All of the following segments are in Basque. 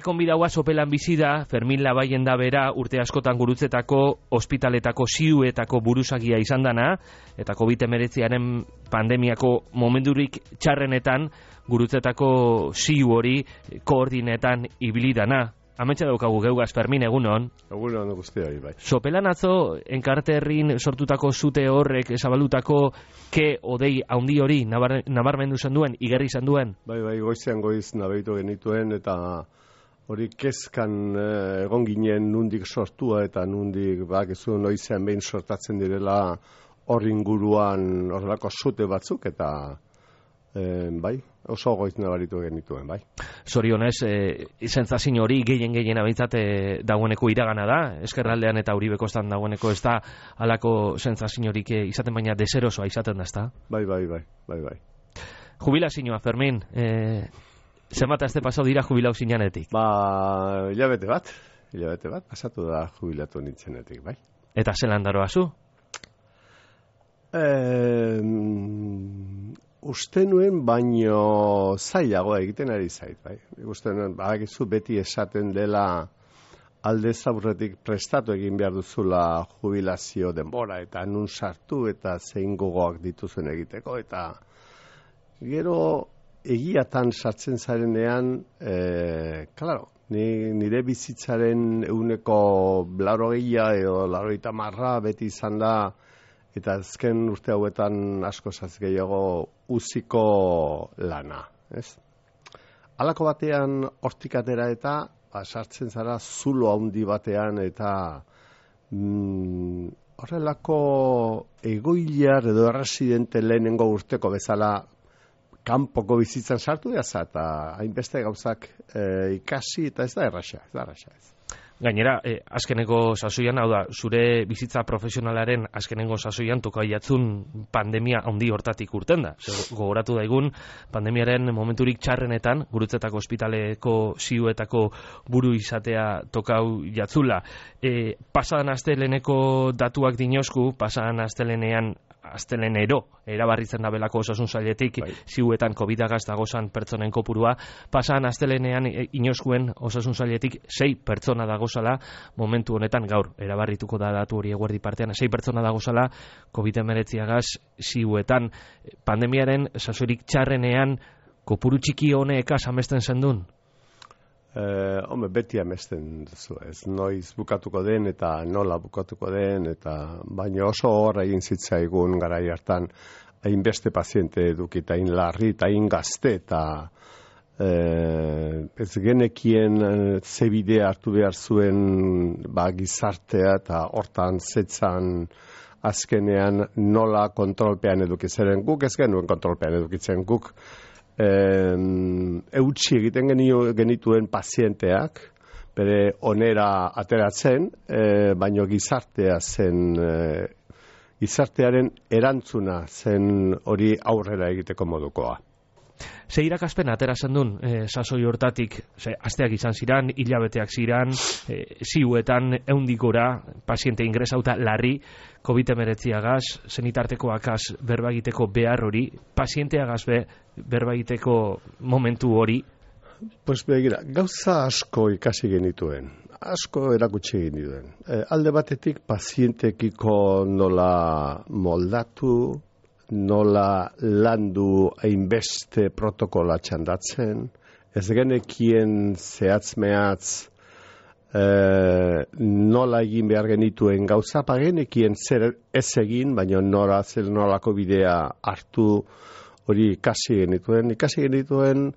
Gure konbidaua sopelan bizi da, Fermin Labaien da bera, urte askotan gurutzetako, ospitaletako ziuetako buruzagia izan dana, eta COVID-19 pandemiako momenturik txarrenetan, gurutzetako ziu hori koordinetan ibili dana. Ametsa daukagu geugaz, Fermin, egunon. Egunon guztia, bai. Sopelan atzo, Enkarte herrin sortutako zute horrek, zabalutako ke odei haundi hori, nabarmendu zen duen, igerri zen duen? Bai, goizean goiz nabeitu genituen, eta hori kezkan egon ginen nundik sortua, eta nundik, bakizu, noizean behin sortatzen direla hor inguruan horrelako zute batzuk, eta bai, oso goiz nabaritu genituen, bai. Zorionez, sentsazio hori gehien abintzat dagoeneko iragana da, Ezkerraldean eta Uribekostan dagoeneko ez da halako sentsaziorik izaten, baina deserosoa izaten da, ezta? Bai. Jubilazioa, Fermin, zenbat aste pasau dira jubilau zinanetik? Hilabete bat, pasatu da jubilatu nintzenetik, bai. Eta zelan daroa zu? Uste nuen baino zailagoa egiten ari zait, bai. Uste nuen, badakizu beti esaten dela aldez aurretik prestatu egin behar duzula jubilazio denbora, eta nun sartu eta zein gogoak dituzuen egiteko, eta gero egiatan sartzen zarenean, klaro, nire bizitzaren eguneko 80 edo 90 beti izan da, eta azken urte hauetan asko gehiago uziko lana, ez? Halako batean hortik atera eta sartzen zara zulo handi batean, eta horrelako egoiliar edo erresidente lehenengo urteko bezala kanpoko bizitzan sartu jaza, eta hainbeste gauzak ikasi, eta ez da erraxa. Gainera, azkeneko sasoian, hau da, zure bizitza profesionalaren azkenengo sasoian tokaiatzun pandemia handi hortatik urten da. Gogoratu daigun, pandemiaren momenturik txarrenetan, Gurutzetako ospitaleko ziuetako buru izatea tokau jatzula. Pasadan asteleneko datuak dinosku, pasadan astelenero, erabarritzen da belako osasun sailetik, ziuetan COVID-agaz dagozan pertsonen kopurua, pasadan astelenean inoskuen osasun sailetik 6 pertsona dagozala, momentu honetan gaur, erabarrituko da datu hori eguerdi partean, 6 pertsona dagozala COVID-19agaz ziuetan. Pandemiaren sasoirik txarrenean kopuru txiki honek amesten zendun? Beti amesten duzu, ez noiz bukatuko den eta nola bukatuko den, eta baina oso horra egin zitzaigun garai hartan hainbeste paziente edukita, hain larri eta hain gazte, eta ez genekien zebide hartu behar zuen gizartea, eta hortan zetzan azkenean nola kontrolpean edukitzen. Guk ez genuen kontrolpean edukitzen, guk eutsi egiten genituen pazienteak, bere onera ateratzen, baino gizartea zen, gizartearen erantzuna zen hori aurrera egiteko modukoa. Ze irakaspen atera zendun sasoi hortatik, asteak izan ziran, hilabeteak ziran, ziuetan eundikora, paziente ingresauta larri, COVID-19agaz, zenitartekoakaz berbagiteko behar hori, pazienteagaz berbagiteko momentu hori? Pues begira, gauza asko ikasi genituen, asko erakutsi genituen. Alde batetik pazientekiko nola moldatu, nola landu hainbeste protokola txandatzen, ez genekien zehatz-mehatz nola egin behar genituen gauza, genekien zer ez egin, baina nolako bidea hartu hori ikasi genituen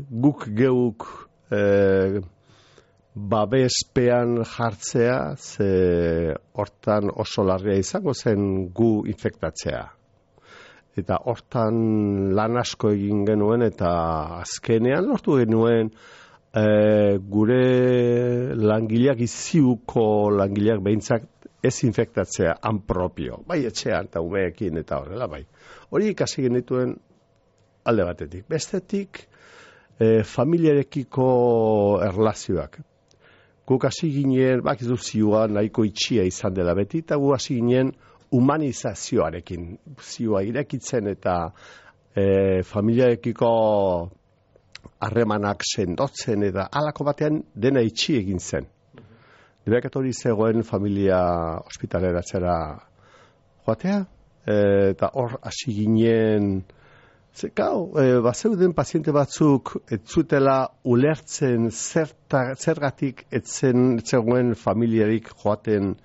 guk geuk babespean jartzea, ze hortan oso larria izango zen gu infektatzea. Eta hortan lan asko egin genuen, eta azkenean lortu genuen gure langileak, iziuko langileak behintzak ez infektatzea han propio, bai etxean eta umeekin eta horrela, bai. Hori ikasi genituen alde batetik. Bestetik, familiarekiko erlazioak. Guk hasi ginen, bakizu zioa nahiko itxia izan dela beti, eta gu hasi ginen humanizazioarekin. Zioa irekitzen eta familiarekiko harremanak sendotzen eta halako batean dena itxi egin zen. Nirekat hori zegoen familia ospitaleratzera joatea, eta hor hasi ginen, bazeuden paziente batzuk ez zutela ulertzen zergatik etzegoen familiarik joaten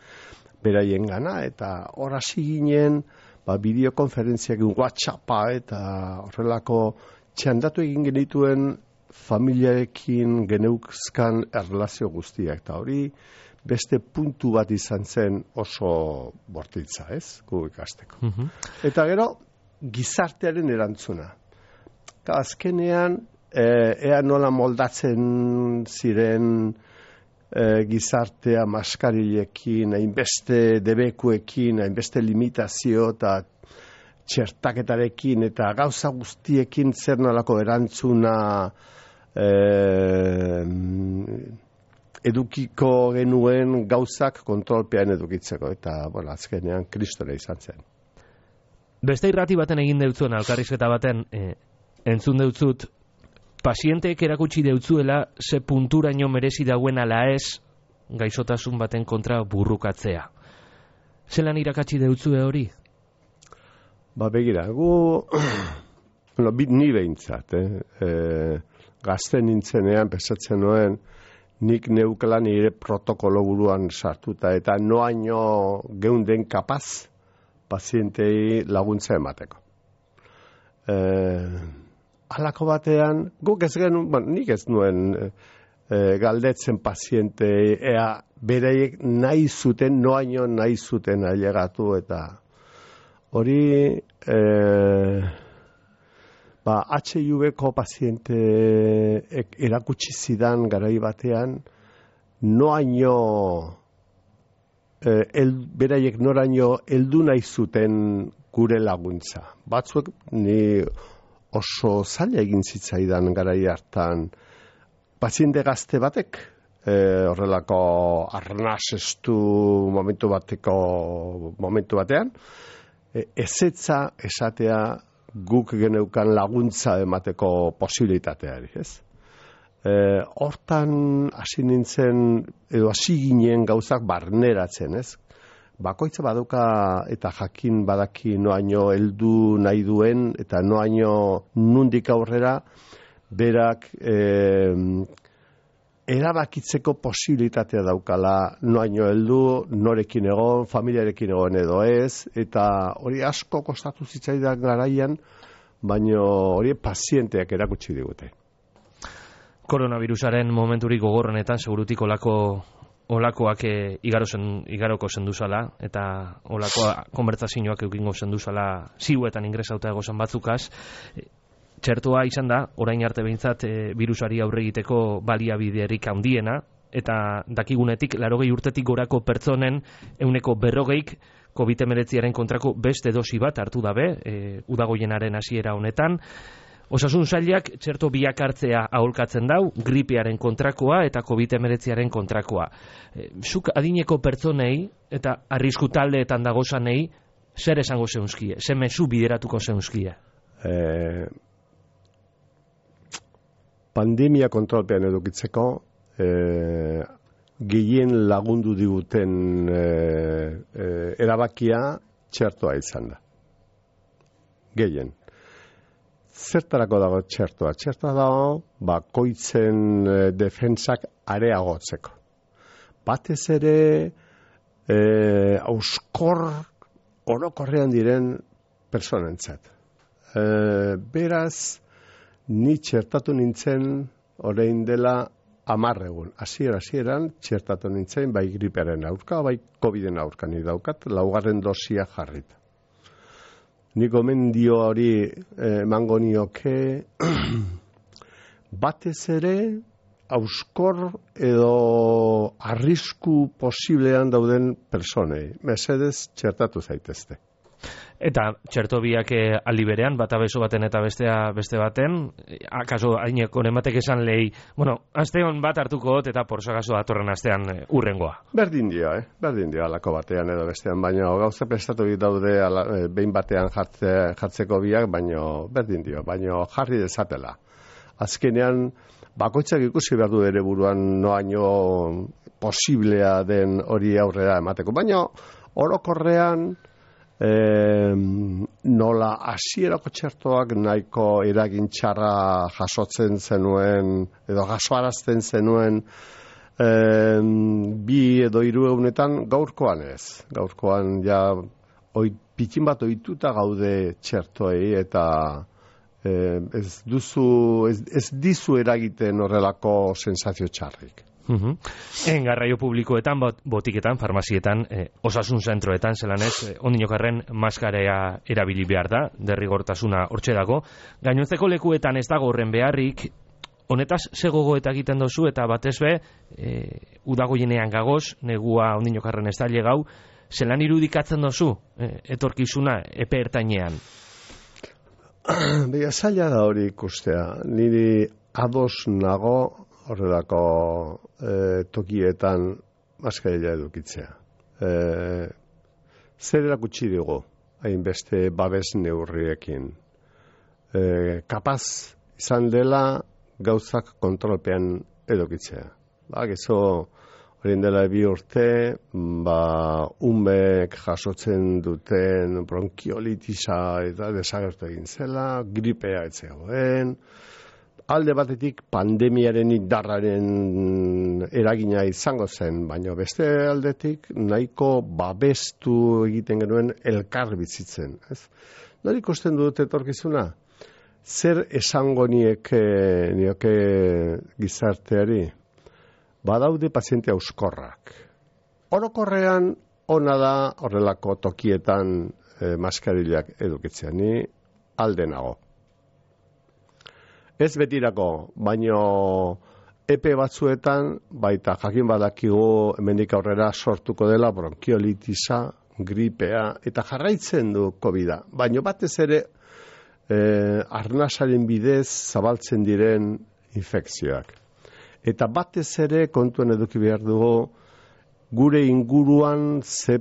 beraien gana, eta hor hasi ginen, bideokonferentziak, WhatsAppa eta horrelako txandatu egin genituen familiarekin geneuzkan erlazio guztiak, eta hori beste puntu bat izan zen oso bortitza, ez? Gu ikasteko. Eta gero, gizartearen erantzuna. Azkenean, ea nola moldatzen ziren gizartea maskarilekin, hainbeste debekuekin, hainbeste limitazio eta txertaketarekin eta gauza guztiekin zer nolako erantzuna edukiko genuen gauzak kontrolpean edukitzeko. Eta, azkenean kristore izan zen. Beste irrati baten egin deutzuen, elkarrizketa baten, entzun deutzut, pazienteek erakutsi deutzuela ze punturaino merezi dauen ala ez gaixotasun baten kontra burrukatzea. Zelan irakatsi deutzue hori? Begira, ni behintzat, gazten nintzenean, pesatzen nuen, nik neukela nire protokolo buruan sartuta, eta noaino geunden kapaz pazientei laguntza emateko. Halako batean, guk ez genuen, nik ez nuen galdetzen pazientei, ea beraiek nahi zuten, noaino nahi zuten ailegatu, eta hori HIV-ko paziente erakutsi zidan garai batean, noaino beraiek noraino heldu nahi zuten gure laguntza. Batzuek ni oso zaila egin zitzaidan garai hartan paziente gazte batek horrelako arnasestu momentu batean ezetza esatea guk geneukan laguntza emateko posibilitateari, ez? Hortan hasi nintzen, edo hasi ginen gauzak barneratzen, ez? Bakoitza baduka eta jakin badaki noaino heldu nahi duen, eta noaino nundik aurrera berak erabakitzeko posibilitatea daukala, noaino heldu, norekin egon, familiarekin egon edo ez, eta hori asko kostatu zitzaidan garaian, baina hori pazienteak erakutsi digute. Koronavirusaren momenturik gogorrenetan segurutik olakoak igaroko zenduzala, eta olakoa konbertsazioak eukingo zenduzala ziuetan ingresauta egozen batzukaz. Txertoa izan da, orain arte behintzat virusari aurre egiteko baliabiderik handiena, eta dakigunetik 80 urtetik gorako pertsonen 140 COVID-19 kontrako beste dosi bat hartu dabe, udagoienaren hasiera honetan. Osasun sailak txerto biak hartzea aholkatzen dau, gripearen kontrakoa eta COVID-19 kontrakoa. Zuk adineko pertsonei eta arrisku taldeetan dagozanei zer esango zeunzkie, ze mezu bideratuko zeunzkie? Pandemia kontrolpean edukitzeko gehien lagundu diguten erabakia txertoa izan da. Gehien. Zertarako dago txertoa? Txertoa dago bakoitzen defentsak areagotzeko. Batez ere auskor orokorrean diren personentzat. Beraz, ni txertatu nintzen orain dela 10 egun. Hasieran txertatu nintzen bai gripearen aurka, bai COVIDen aurka ni daukat, 4. dosia jarrita. Nik gomendio hori emango nioke batez ere auskor edo arrisku posiblean dauden personei. Mesedez txertatu zaitezte. Eta txerto biak aldi berean, bata beso baten eta beste baten, akaso aineko nematek esan lehi, aste hon bat hartuko dut eta porsagaso datorren astean urrengoa. Berdin dio alako batean edo bestean, baina gauza prestatu daude behin batean jartzeko biak, baina berdin dio, baina jarri dezatela. azkenean bakoitzak ikusi behar du ere buruan noaino posiblea den hori aurrera emateko. Baina orokorrean nola hasierako txertoak nahiko eragin txarra jasotzen zenuen edo jasoarazten zenuen 2 edo 3 egunetan, gaurkoan ez. Gaurkoan ja pitin bat ohituta gaude txertoei eta ez dizu eragiten horrelako sensazio txarrik. Garraio publikoetan, botiketan, farmazietan, osasun zentroetan, zelan ez, ondinokarren maskarea erabili behar da, derrigortasuna hortxe dago. Gainontzeko lekuetan ez dago horren beharrik, honetaz zegogo eta egiten dozu, eta batez be, udago jenean gagoz, negua ondinokarren ez da legau, zelan irudikatzen dozu, etorkizuna, epe ertainean? Beha, zaila da hori ikustea. Niri ados nago horrelako tokietan maskarilla edukitzea. Zer erakutsi dugu, hainbeste babes neurriekin. Kapaz izan dela gauzak kontrolpean edukitzea. Gezo, horien dela 2 urte, umek jasotzen duten bronkiolitisa eta desagertu egin zela, gripea etzegoen, alde batetik pandemiaren indarraren eragina izango zen, baina beste aldetik nahiko babestu egiten genuen elkar bizitzen. Nori ikusten dut etorkizuna? Zer esango nioke gizarteari? Badaude paziente auskorrak. Orokorrean ona da horrelako tokietan maskarillak edukitzea. Ni alde nago. Ez betirako, baino epe batzuetan, baita jakin badakigu hemendik aurrera sortuko dela bronkiolitisa, gripea, eta jarraitzen du COVID-a. Baino batez ere, arnasaren bidez zabaltzen diren infekzioak. Eta batez ere kontuen eduki behar dugu, gure inguruan ze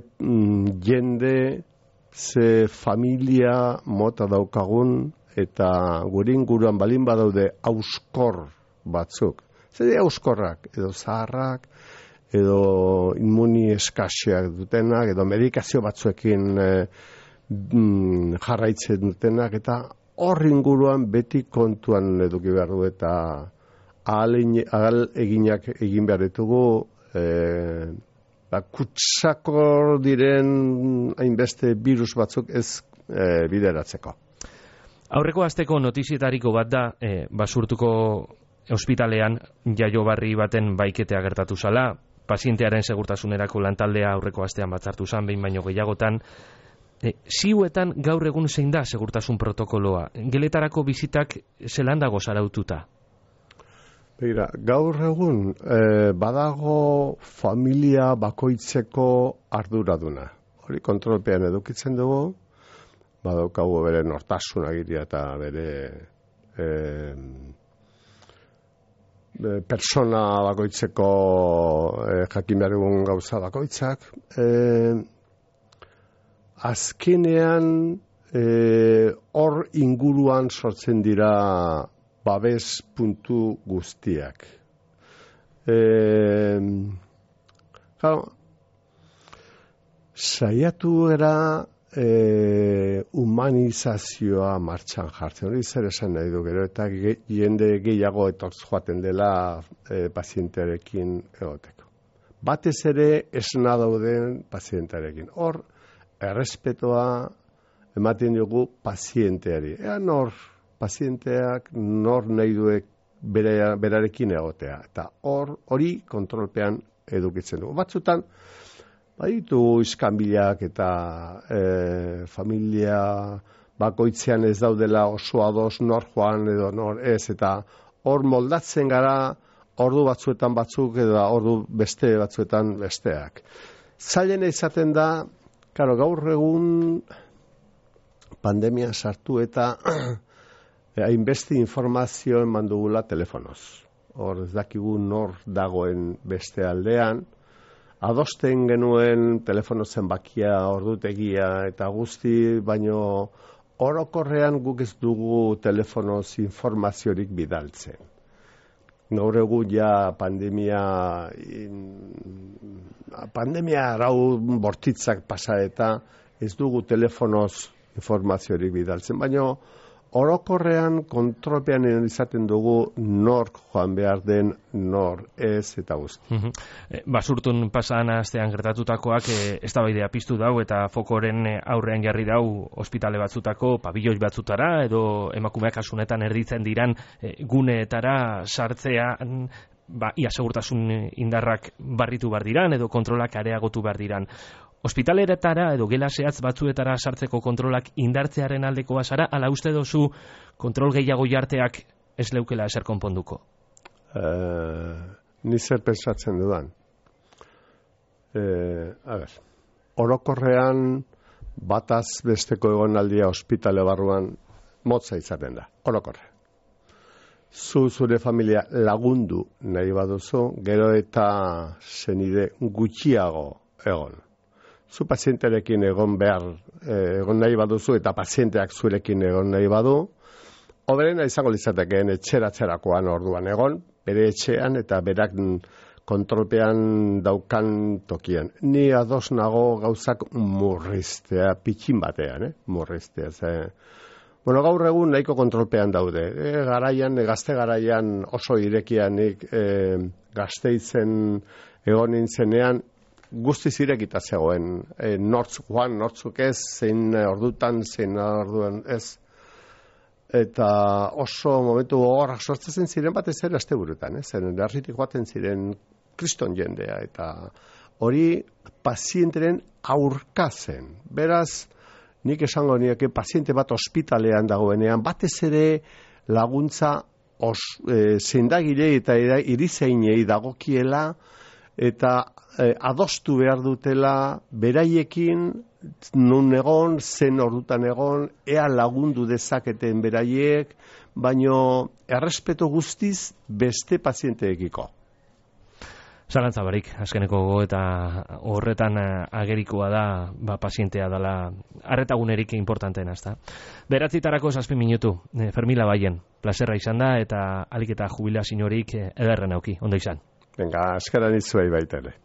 jende, ze familia mota daukagun, eta gure inguruan balin badaude auskor batzuk. Zer dira auskorrak? Edo zaharrak, edo inmuni eskaseak dutenak, edo medikazio batzuekin jarraitzen dutenak, eta hor inguruan beti kontuan eduki behar du, eta ahal eginak egin behar ditugu, kutsakor diren hainbeste virus batzuk ez bideratzeko. Aurreko asteko notizietariko bat da, basurtuko ospitalean jaiobarri baten baiketea gertatu zala, pazientearen segurtasunerako lantaldea aurreko astean batzartu zan, behin baino gehiagotan. Ziuetan gaur egun zein da segurtasun protokoloa? Geletarako bizitak zelan dago zaraututa? Begira, gaur egun badago familia bakoitzeko arduraduna. Hori kontrolpean edukitzen dugu, badaukagu bere nortasun agiria eta bere persona bakoitzeko jakin behar egun gauza bakoitzak. Azkenean hor inguruan sortzen dira babes puntu guztiak. Saiatu gara humanizazioa martxan jartzen. Hori zer esan nahi du gero, eta jende gehiago etortz joaten dela pazientearekin egoteko. Batez ere esna dauden pazientearekin. Hor, errespetoa ematen dugu pazienteari. Pazienteak nor nahi duek berarekin egotea. Eta hori kontrolpean edukitzen dugu. Batzutan, baditu iskanbilak eta familia bakoitzean ez daudela oso ados nor joan edo nor ez, eta hor moldatzen gara ordu batzuetan batzuk edo ordu beste batzuetan besteak. Zailena izaten da, gaur egun pandemia sartu eta hainbeste informazio eman dugula telefonoz. Hor ez dakigu nor dagoen beste aldean, adosten genuen telefono zenbakia, ordutegia eta guzti, baino orokorrean guk ez dugu telefonoz informaziorik bidaltzen. Gaur egun ja pandemia arau bortitzak pasa eta ez dugu telefonoz informaziorik bidaltzen, baina orokorrean kontrolpean izaten dugu nork joan behar den, nor ez eta guzti. Basurtun pasan astean gertatutakoak eztabaidea piztu dau eta fokoren aurrean jarri dau ospitale batzutako pabilloi batzutara edo emakumeak kasunetan erditzen diran guneetara sartzean ia segurtasun indarrak barritu behar diran edo kontrolak areagotu behar diran. Ospitaleretara edo gela zehatz batzuetara sartzeko kontrolak indartzearen aldekoa zara, ala uste dozu kontrol gehiago jarteak ez leukela ezer konponduko? Ni zer pensatzen dudan. Orokorrean bataz besteko egonaldia ospitale barruan motza izaten da, orokorrean. Zure familia lagundu nahi baduzu, gero eta zenide gutxiago egon. Zu pazienterekin egon nahi baduzu eta pazienteak zurekin egon nahi badu, hoberena izango litzatekeen etxeratzerakoan orduan egon, bere etxean eta berak kontrolpean daukan tokian. Ni ados nago gauzak murriztea, pitxin batean, murriztea. Bueno, gaur egun nahiko kontrolpean daude. Gazte garaian oso irekianik Gasteizen egon nintzenean, guztiz irekita zegoen, nortzuk ez, zein ordutan, zein orduan ez. Eta oso momentu gogorrak sortzen ziren batez ere asteburutan, zen herritik joaten ziren kriston jendea, eta hori pazienteren aurka zen. Beraz, nik esango nieke paziente bat ospitalean dagoenean, batez ere laguntza zendagile eta irizeinei dagokiela, eta adostu behar dutela beraiekin nun egon, zen ordutan egon, ea lagundu dezaketen beraiek, baino errespeto guztiz beste pazienteekiko. Zalantza barik, azkeneko eta horretan agerikoa da pazientea dela arretagunerik importanteena, ezta. 9:07 minutu, Fermila Baien, plazerra izan da eta alik eta jubilaziorik ederren auki, ondo izan. Venga, eskaran itzuei baita ere.